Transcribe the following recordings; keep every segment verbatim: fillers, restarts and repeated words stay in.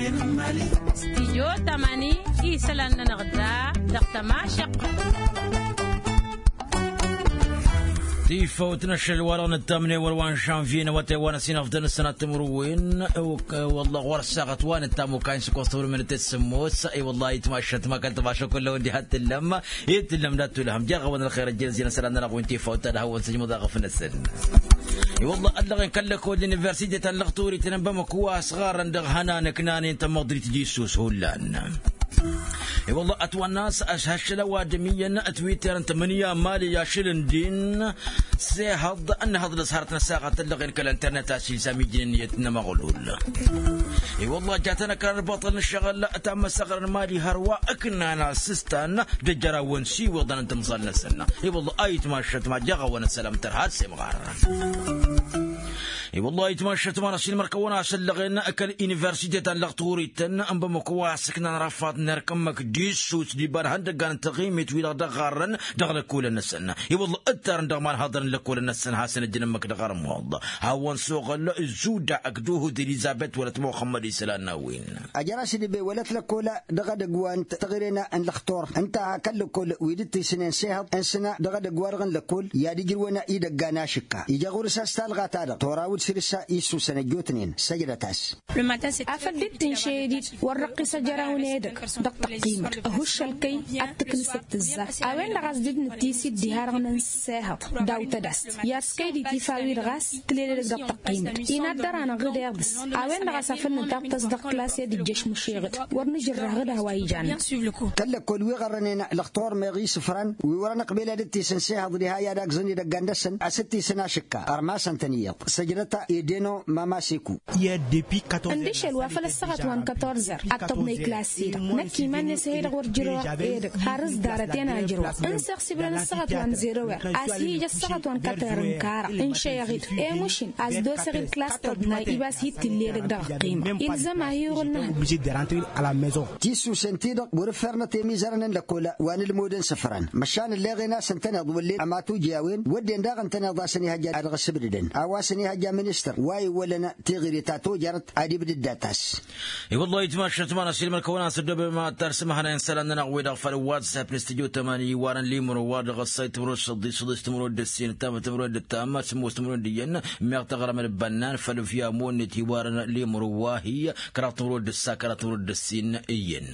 Stijyo tamani isălan-nănăɣ da dăɣ-tămašăqqăt. Tifăwt n-ašăl wa-dăɣ nǝttamne wăr-wa n-žănvye n-awătay wa n-ăsinăfdăn ǝssănat timǝrwen. Wălla ɣur-ăssaɣăt wa nǝttam okayăn s-ǝkkoẓ timǝrwen d-tǝssǝmmos. I-wălla ayǝtmašăt ma kăl-tămašăk kull-a-wen diha t-tǝllăm i-tǝllăm dat-tulhăm jer-ɣawăn ălxer ăjjănăzzen ăssălan-nănăɣ wi n-tifăwt ta d-hawăn-săjmăḍ aɣăf-năsăn. I-wălla ăllăɣen kăl-lăkol d-universite ta n-lăɣturit n-bamăko a-s ɣarrăn dăɣ-ihănan ǝknanen tămăḍrit d-issus hullan. I-wălla ătwănna a-s ăšhăššăl ăwadǝm iyyăn ătwitterăn tămǝnǝya mali ašăl ǝndin s-ehăḍ ănnăhăḍ d-ăsharăt n-ăssaɣăt ăllăɣen kăl-internet a-s ilzam ijnen iyyăt n-amăɣlul. I-wălla jatăn ăkrar băṭăl n-ǝššăɣǝl ta n-măsăɣrăn mali hărwa ǝknan asǝstan d-ejărawăn s-iwǝḍăn n-timẓal-năsăn. I-wălla a itmašăt ma jaɣ-awăn ăssălam tărha ad-semɣar. I-wălla itmašăt ma n-ašilmăr kăwăn-asăllăɣen kăl-universite ta n-lăɣturităn n-bamăko a-s ǝknan răfaḍ n-erk ǝmmǝk d-issus d-iba n-ihăndăggan n-taɣimit wi-dăɣ dăɣ-ɣarrăn dăɣ-lăkkolăn-năsăn. I-wălla ǝttarăn dăɣ-imanhaḍăn n-lăkkolăn-năsăn hasăn-ăjjăn ǝmmǝk dăɣ-armuḍ hawăn-soɣăl zuda ăkduhǝd elizabet wălăt muxămmăd isălan n-a-wen. Ajăr-as d-ibe wălăt lăkkola dăɣ-edăgg wa n-taɣǝre n-lăxtor ǝnta a kăl-lăkkol wi dd-tisǝnen s-ehăḍ n-sǝnna dăɣ-edăgg-wa-dăɣ n-lăkkol i-ad-ǝjrǝwăn idăgga n-ašǝkka ijăɣ ɣur-s a-s talɣa-ta-dăɣ tora wǝd făll-s a issusăn ăjjootnen săjdăt-as. Afăl dd-tǝnšăy ed-dd wăr răqqis ajăraw n-edăgg dăɣ-tăqqimăt ăhuššăl-kăy ad-tǝknǝsăt tǝzza. A-wen-dăɣ a-s dd-nǝttis-dd diha-dăɣ nǝnsa ehăḍ daw-tădast i-ad-s kăy-dd-itifa wi-dăɣ a-s tǝlel edăgg dăɣ-tăqqimăt. Inaddăr-anăɣ ɣǝd iḍǝs a-wen-dăɣ a-s afăl nǝtaɣtăs dăɣ-klass i-ad-ǝjjăš măšeɣ-dd wăr nǝjǝrrăh ɣǝd a-wa ijan. Kăl-lăkkol wi ɣărrănen lăxtor meɣ isǝfran wi wăren ăqbel ad-dd-tisǝn s-ehăḍ diha i-ad-agzăn idăggan-năsăn a-s dd-tisǝn ašǝkka ărmasăn-tăn iyyăḍ săjdăt edeno mamaseku. Ǝndǝšel wa făl ăssaɣăt wa n-kătorzăr ad-tăḍnăy klass-i-dăɣ năkk iman-net ăhey-dăɣ wăr jǝrăwăɣ edăgg har ǝzdarăt-en a jǝrǝwăɣ ǝnsăɣ s-ibrăn ăssaɣăt wa n-zerăwăr a-s ih'-ija ăssaɣăt wa n-kătăr n-kara ǝnšăyăɣ-dd emušǝn a-s dd-oseɣ-dd klass tăḍnay iba a-s hi-t-tǝll edăgg dăɣ-ăqqimăɣ ilzăm a hi-iɣǝl n-ehăḍ. Tissusen-ti-dăɣ wăr-ǝffernăt emizărăn n-lăkkola wa n-ǝlmod n-isǝfran măšan ǝlleɣen a-s ǝntăneḍ wăllen ămatoj i-a-wen wădden daɣ ǝntăneḍ a-s ănihăjja ad-dăɣ-ăssǝbdǝdăn a-wa s-ănihăjja ministăr wa iwwălăn tiɣǝre ta tojărăt ad-ibdǝd data-s. I-wăllah itmašăt ma n-asilmăr kăwăn-asăddobem ad-tarsǝm ihănay n-isălan-nănăɣ-wi-dăɣ făll-whatsapp n-studio tămani iwarăn limro wa dăɣ-ăssay timǝrwen d-săḍis săḍis timǝrwen d-ǝssin ǝttam timǝrwen d-ǝttam sǝmmos timǝrwen d-iyyăn. Meɣ taɣrăm d-bănnan făll-via monnet iwarăn limro wa hi-kăraḍ timǝrwen d-ǝssa kăraḍ timǝrwen d-ǝssin iyyăn.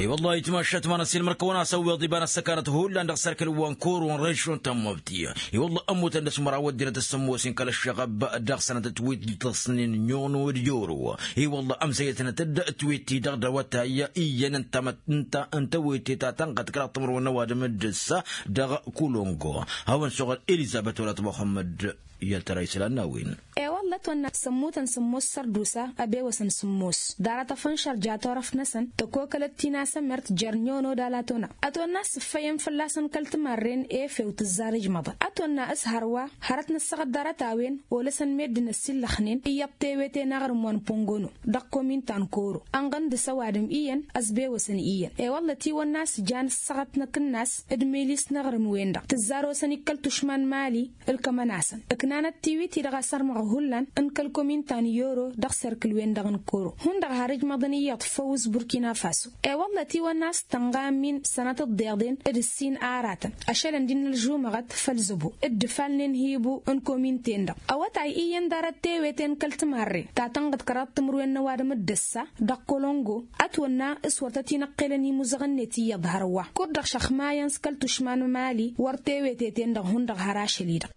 I-wăllah itmašăt ma n-asilmăr kăwăn-asăwweḍ iba n-ăssăkanăt hullan dăɣ-sărkǝl wa n-koro n-režion tămmăbti. I-wălla ămmutăn dăɣ-s măraw ăddinăt s-ămmoos-in kăl-ăššăɣăb dăɣ-sănăt ătwit d-tăsnin n-inon d-joro. I-wălla ămzăyătnăt-dd ătwit-i-dăɣ d-awătay iyyăn ǝnta ǝnta ǝnta ăwete ta tănɣăt kăraḍ timǝrwen n-ăwadǝm d-ǝssa dăɣ-kulongo. Hawăn-soɣăl elizăbet wălăt muxămmăd. I-ad-tăra isălan n-a-wen. E-wălla ătwănna s-ămmutăn sǝmmos sărdusa ăbewăsăn sǝmmos ḍarăt afănšăr ja turăft-năsăn tăkokălăt ti n-asămert jer-nyon odal a tona ătwănna s-ǝffăyăn fălla-săn kăl-timarren efew tǝzzar ǝjmăḍăn ătwănna s-hărwa hărăt nǝssăɣăt ḍarăt-a-wen olăsăn meddǝn ăssillăxnen iyyăḍ tewete n-aɣrǝm wa n-pongono dăɣ-komin ta n-koro ănɣăn dăɣ-s ăwadǝm iyyăn ăsbewăsăn iyyăn. E-wălla ătiwănna s-jan ǝssăɣăt n-akǝnnas d-milis n-aɣrǝm-wen-dăɣ tǝzzar osăn-ik kăl-tušma n-mali ǝlkămăn-asăn ǝknanăt tiwit-i-dăɣ asărmăɣ hullan n-kăl-komin ta n-yoro dăɣ-serkǝl-wen-dăɣ n-koro hundăɣ har ǝjmăḍăn iyyăḍ făw s-burkina faso. E-wălla ătiwănna a-s tănɣa ămmin sănătăt d-iḍen d-ǝssin aratăn ašălăn d-innă ălžumăɣăt făll-zăbo d-ǝfalnen hibu n-komin-ten-dăɣ. Awătay iyyăn ḍarăt tewete n-kăl-timarren ta tănɣăt kăraḍ timǝrwen n-ăwadǝm d-ǝssa dăɣ-kolongo ătwănna s-wăr tăt-inăqqelăn imuzăɣ-net iyyăḍ hărwa kud-dăɣ šăxmayăn s-kăl-tušma n-mali wăr tewete-ten-dăɣ hundăɣ har ašăl-i-dăɣ.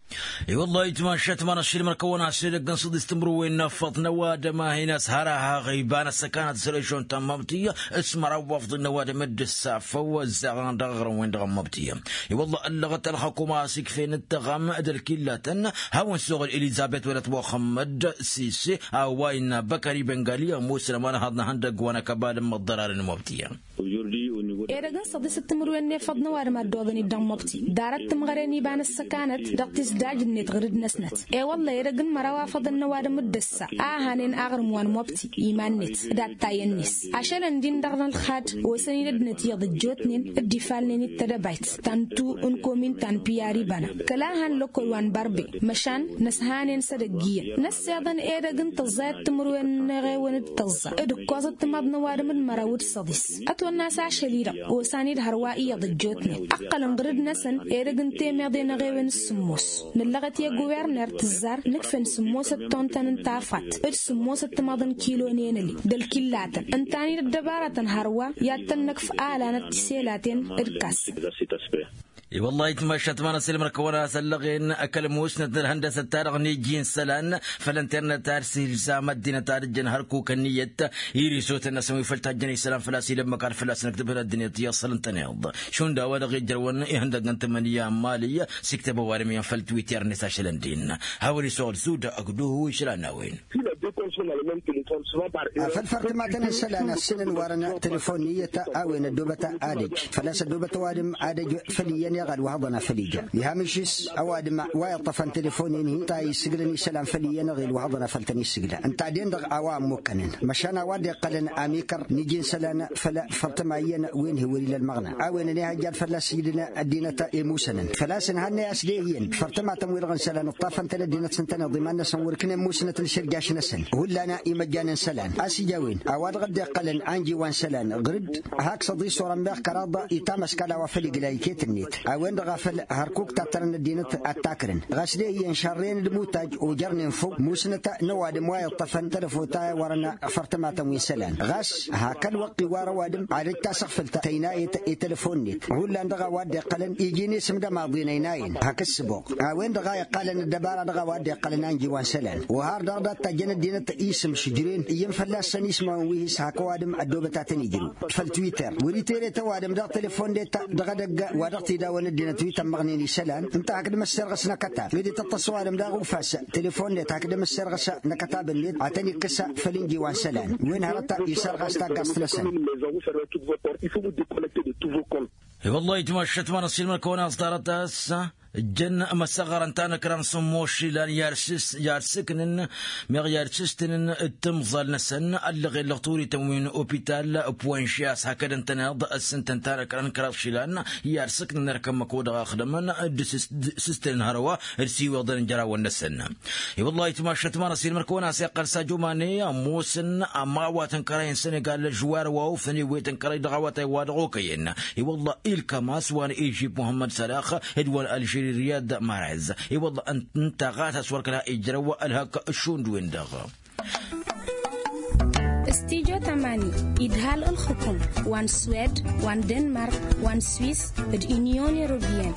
I-wăllah itmašăt ma n-ašilmăr kăwăn-asăl edăgg n-săḍis timǝrwen n-afăḍ n-ăwadǝm a hin-ăshărăhăɣ iba n-ăssăkanăt s-režion tămmăbti s-măraw wafḍ n-ăwadǝm d-ǝssa făw ăzzaɣăn dăɣ-aɣrǝm-wen-dăɣ ămmăbti. I-wăllah ăllăɣăt ălxăkum a-s ikfen d-taɣăm d-ălkillatăn hawăn-soɣăl elizăbet wălăt muxămmăd sise a-wa innă băkări bengaliya ămoosăn ămanhăḍ n-ehăndăgg wa n-akăbal n-imăḍḍărarăn n-măbti. Ojordi o nivo Edăgg n-săḍis d-timǝrwen n-efăḍ n-ăwadǝm a dd-oḍăn-dd dăɣ-mobti ḍarăt timɣăren iba n-ǝssăkanăt dăɣ-tisdaj-net ɣǝrǝd-năsnăt. E-wălla edăgg n-măraw afăḍăn n-ăwadǝm d-ǝssa a hanen aɣrǝm wa n-mobti iman-net d-attayăn-net. Ašălăn-din dăɣ-nălxad osăn-in ăddinăt iyyăḍ ăjjootnen d-ifalnen-dd tedăbayt ta n-tu n-komin ta n-piyar ibana kăla han lăkkol wa n-bărbe. Măšan năshanen s-edăgg iyyăn năssiḍăn edăgg n-tăẓẓayăt timǝrwen n-eɣewăn d-tăẓẓa d-ǝkkoẓăt timaḍ n-ăwadǝm d-măraw d-săḍis. Ătwănna a-s ašăl-i-dăɣ osan-dd hărwa iyyăḍ ăjjootnen ǝqqălăn ɣǝrǝd-năsăn. Edăgg n-temeḍe n-eɣewăn s-sǝmmos nǝllăɣăt i-guwerner tǝzzar nǝkfăn sǝmmosăt tontăn n-tafat d-sǝmmosăt timaḍ n-kilo n-enăli d-ălkillatăn ǝnta-năy d-ăddăbarătăn hărwa i-ad-tăn-năkf alanăt tiselaten d-kas. I-wăllah itmašat ma n-asǝlmăr kăwăn-as ăllăɣen kăl-musnăt n-ălhăndăsăt-ta-dăɣ n-iji n-isălan făll-internet ad-silzam ăddinăt ad-ǝjjăn hărkuk ănniyăt. Irisotăn-năsăn wi făll-tajjăn isălan făl-a-s ila ămmăk ad-făl-a-s nǝktǝbăn ăddinăt iyyăḍ săl ǝntăneḍ šund a-wa-dăɣ ijrăwăn ihăndăgg n-tǝmmǝnǝya n-mali. S-iktăb ăwadǝm iyyăn făll-twitter-net ašălăn din hawăn-isăɣ d-zuda ăgg-duhu išlan n-a-wen. Afăl fărtămatăn n-isălan ăssǝnăn warăn telefon n-iyyăt a-wen ăddoobăt ad-ăj făl-a-s ăddoobăt ăwadǝm ad-ăj făll-iyyăn iɣal wa hăḍăn a făl ija iha mišis ăwadǝm wa iṭṭăfăn telefon-in-hi ǝnta a issǝglăn isălan făll-iyyăn iɣil wa hăḍăn a făl tăn-issǝglăn ǝnta a den-dăɣ a-wa ămmukkănăn. Măšan a-wa dd-iqqălăn amikăr n-iji n-isălan făll-fărtăma iyyăn wi n-hi-wăr-ila ălmăɣna a-wen ănihăjja ad-fălla-s ǝjdǝn ăddinăt imusănăn făl-a-s ǝnhănnăy a-s de-iyyăn fărtămatăn-wi-dăɣ n-isălan ǝṭṭafăn-tăn ăddinăt s-ǝntăneḍ iman-năsăn wăr-ǝknen musnăt n-išǝrjaš-năsăn. Hullan imăjjan n-isălan a-s ija a-wen a-wa dăɣ-dd-iqqălăn anji wa n-isălan ɣǝr-dd hak săḍis orăn meɣ kăraḍ itamăskal a-wa făl igla iket-net a-wen-dăɣ a făl hărkuk tattărăn ăddinăt ad-takrǝn ɣas de-iyyăn šărren d-imutaj ojărnen făw musnăt n-ăwadǝm wa iṭṭăfăn tălăfota i-wărăn fărtămatăn wi n-isălan ɣas hak ălwăqq iwar ăwadǝm ad-ăj tasăɣfǝlt tăynayăt i-telăfon-net hullan dăɣ-a-wa dd-iqqălăn iji n-isǝm d-ămaḍi n-ăynayăn hak ǝssǝboɣ. A-wen-dăɣ a iqqalăn ăddăbara dăɣ-a-wa dd-iqqălăn anji wa n-isălan ohar dăɣ-dat tajjăn ăddinăt isǝm šǝjren iyyăn fălla-săn ismawăn wi hi-s hak ăwadǝm ăddoobăt a tăn-ijrǝw făll-twitter wăr-itere-t ăwadǝm dăɣ-telefon-net dăɣ-edăgg wa dăɣ-t-idawăn ăddinăt wi tămmăɣnen isălan ǝnta hakd măsserɣăs n-akătab ed ităṭṭăs ăwadǝm daɣ ufas telefon-net hakd măsserɣăs n-akătab-net ad-tăn-ikkǝs făll-inji wa n-isălan wen hărăt isărɣas taggaẓt-năsăn. I-wăllah itmašat ma n-ăṣilmăn kăwăn-as ḍarăt a-s ǝjjăn măsăɣărăn tanăkra n-sǝmmos išilan i-ad-sǝknǝn meɣ i-ad-sǝstǝnǝn d-timẓal-năsăn ăllăɣen lăɣturităn wi n-opital puwănši a-s hakd ǝntăneḍ ăssǝntăn tanăkra n-kăraḍ išilan i-ad-sǝknǝn erk ămmăko dăɣ-axdămăn d-sǝstǝnǝn hărwa d-siweḍăn n-jărawăn-năsăn. I-wăllah itmašat ma n-ăṣilmăn kăwăn-as iqqăl s-ajumane ămoosăn ămawat n-kărăy n-sănegal ăžžuwar wa ofăn iwwet n-kărăy dăɣ-awătay wa dăɣ-okăyăn. I-wălla ilkam a-s wa n-ijib muhămmăd sălax d-wa n-alžiri riyad marez. I-wălla ǝnta ɣas a-s wăr kăla ijrăw ălhăk šund-wen-dăɣ. Studyo tămani idhal ǝlxǝkum wa n-swed wa n-denmark wa n-swis d-inyon europiyăn.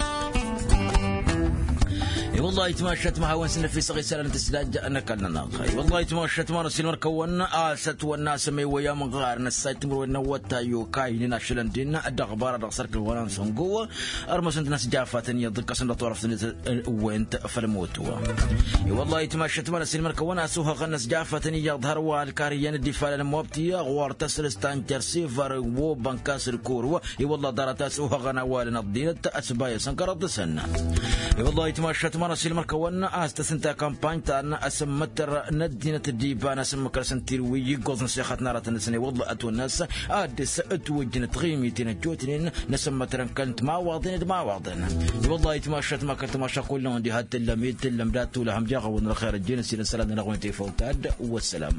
I-wălla itmašat ma hawăn-sǝnnăfisăɣ isălan n-tǝsdaj n-ăkall-nănăɣ. I-wălla itmašat ma n-ăsilmăr-kăwăn a-s ătwănna a-s ămewăy amɣar n-ăssay timǝrwen n-awătay okaynen ašălăn-din dăɣ-ăbara dăɣ-sărkǝl wa n-ansăngo. Ărmăsăn-t n-asjafatăn iyyăḍ ǝkkăsăn dăɣ-turăft-net. Wen-t făll-măwt wa. I-wălla itmašat ma n-ăsilmăr-kăwăn a-s ohăɣăn n-asjafatăn iyyăḍ hărwa ălkar iyyăn dd-ifalăn mobti ɣur-tăsrǝst ta n-jărsivar wobănkas d-koro. I-wălla ḍarăt a-s ohăɣăn a-wa ǝlăn ăḍḍinăt ăsbayăsăn kăraḍ-tăsăn. I-wălla itmašat ma n-ăsilmăr-kăwăn a-s tăsǝnta kampany ta n-asǝmmătăr n-ăddinăt d-iba n-asǝmmăkăr s-ǝnta-i wi iggoẓ n-sixăt n-aratăn-năsăn i-wălla ătwănna a-s ad-dăɣ-s ătwăjjăn tiɣimiten ăjjootnen n-asǝmmătăr n-kăl-t mawaḍen d-mawaḍen. I-wălla itmašat ma kăl-timaša kull-năwăn diha t-tǝllăm i-t-tǝllăm dat-tulăhăm jaɣ-awăn ălxer ăjjeen ăssiilăn isălan-nănăɣ wen tefăwt ad-wăssalam.